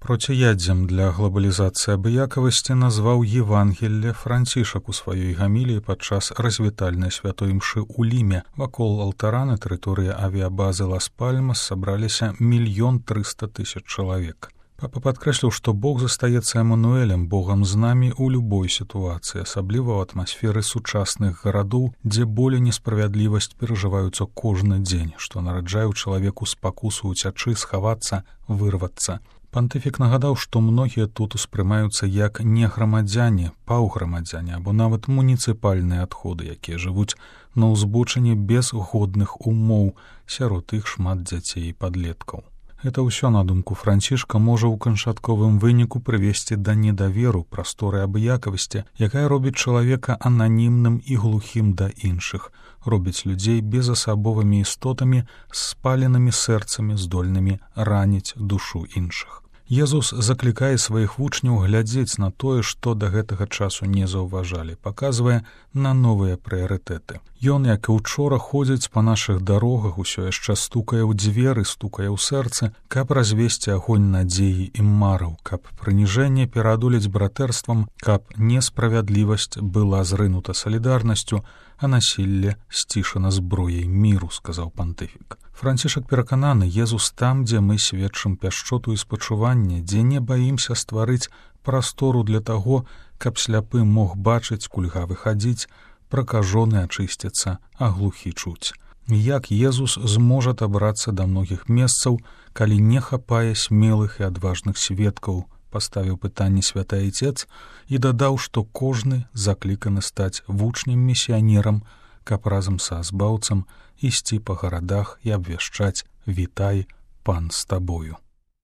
Проціядзем для глобалізацыі абыякавасці назваў Евангелле Францішак у сваёй гаміліі падчас развітальнай святой імшы ў Ліме. Вакол алтара на тэрыторыі авіябазы Лас-Пальмас сабраліся 1 300 000 чалавек. Папа падкрэсліў, што Бог застаецца Эмануэлем, Богам з намі ў любой сітуацыі, асабліва ў атмасферы сучасных гарадоў, дзе боль і несправядлівасць перажываюцца кожны дзень, што нараджае ў чалавеку спакусу ўцячы, схавацца, вырвацца. Пантыфік нагадаў, што многія тут успрымаюцца як не грамадзяне, паўграмадзяне або нават муніцыпальныя адходы, якія жывуць на ўзбочыне без годных умоў, сярод іх шмат дзяцей і падлеткаў. Гэта ўсё, на думку Францішка, можа ў канчатковым выніку прывесці да недаверу прасторы абыякавасці, якая робіць чалавека ананімным і глухім да іншых, робіць людзей безасабовымі істотамі з спаленымі сэрцамі, здольнымі раніць душу іншых. Езус заклікае сваіх вучняў глядзець на тое, што да гэтага часу не заўважалі, паказвае на новыя прыярытэты. Ён, як і учора, ходзіць па нашых дарогах, усё яшчэ стукае ў дзверы, стукае ў сэрцы, каб развесці агонь надзеі і мараў, каб прыніжэнне пераадолець братэрствам, каб несправядлівасць была зрынута салідарнасцю, а насілле сцішана зброяй міру, сказаў пантыфік. Францішак перакананы, Езус там, дзе мы сведчым пяшчоту і спачуванне, дзе не баімся стварыць прастору для таго, каб сляпы мог бачыць, кульгавы хадзіць, пракажоны ачысціцца, а глухі чуць. Як Езус зможа дабрацца да многіх месцаў, калі не хапае смелых і адважных сведкаў, паставіў пытанне святы Айцец і дадаў, што кожны закліканы стаць вучнем-місіянерам, каб разам са збаўцам ісці па гарадах і абвяшчаць «Вітай, пан з табою».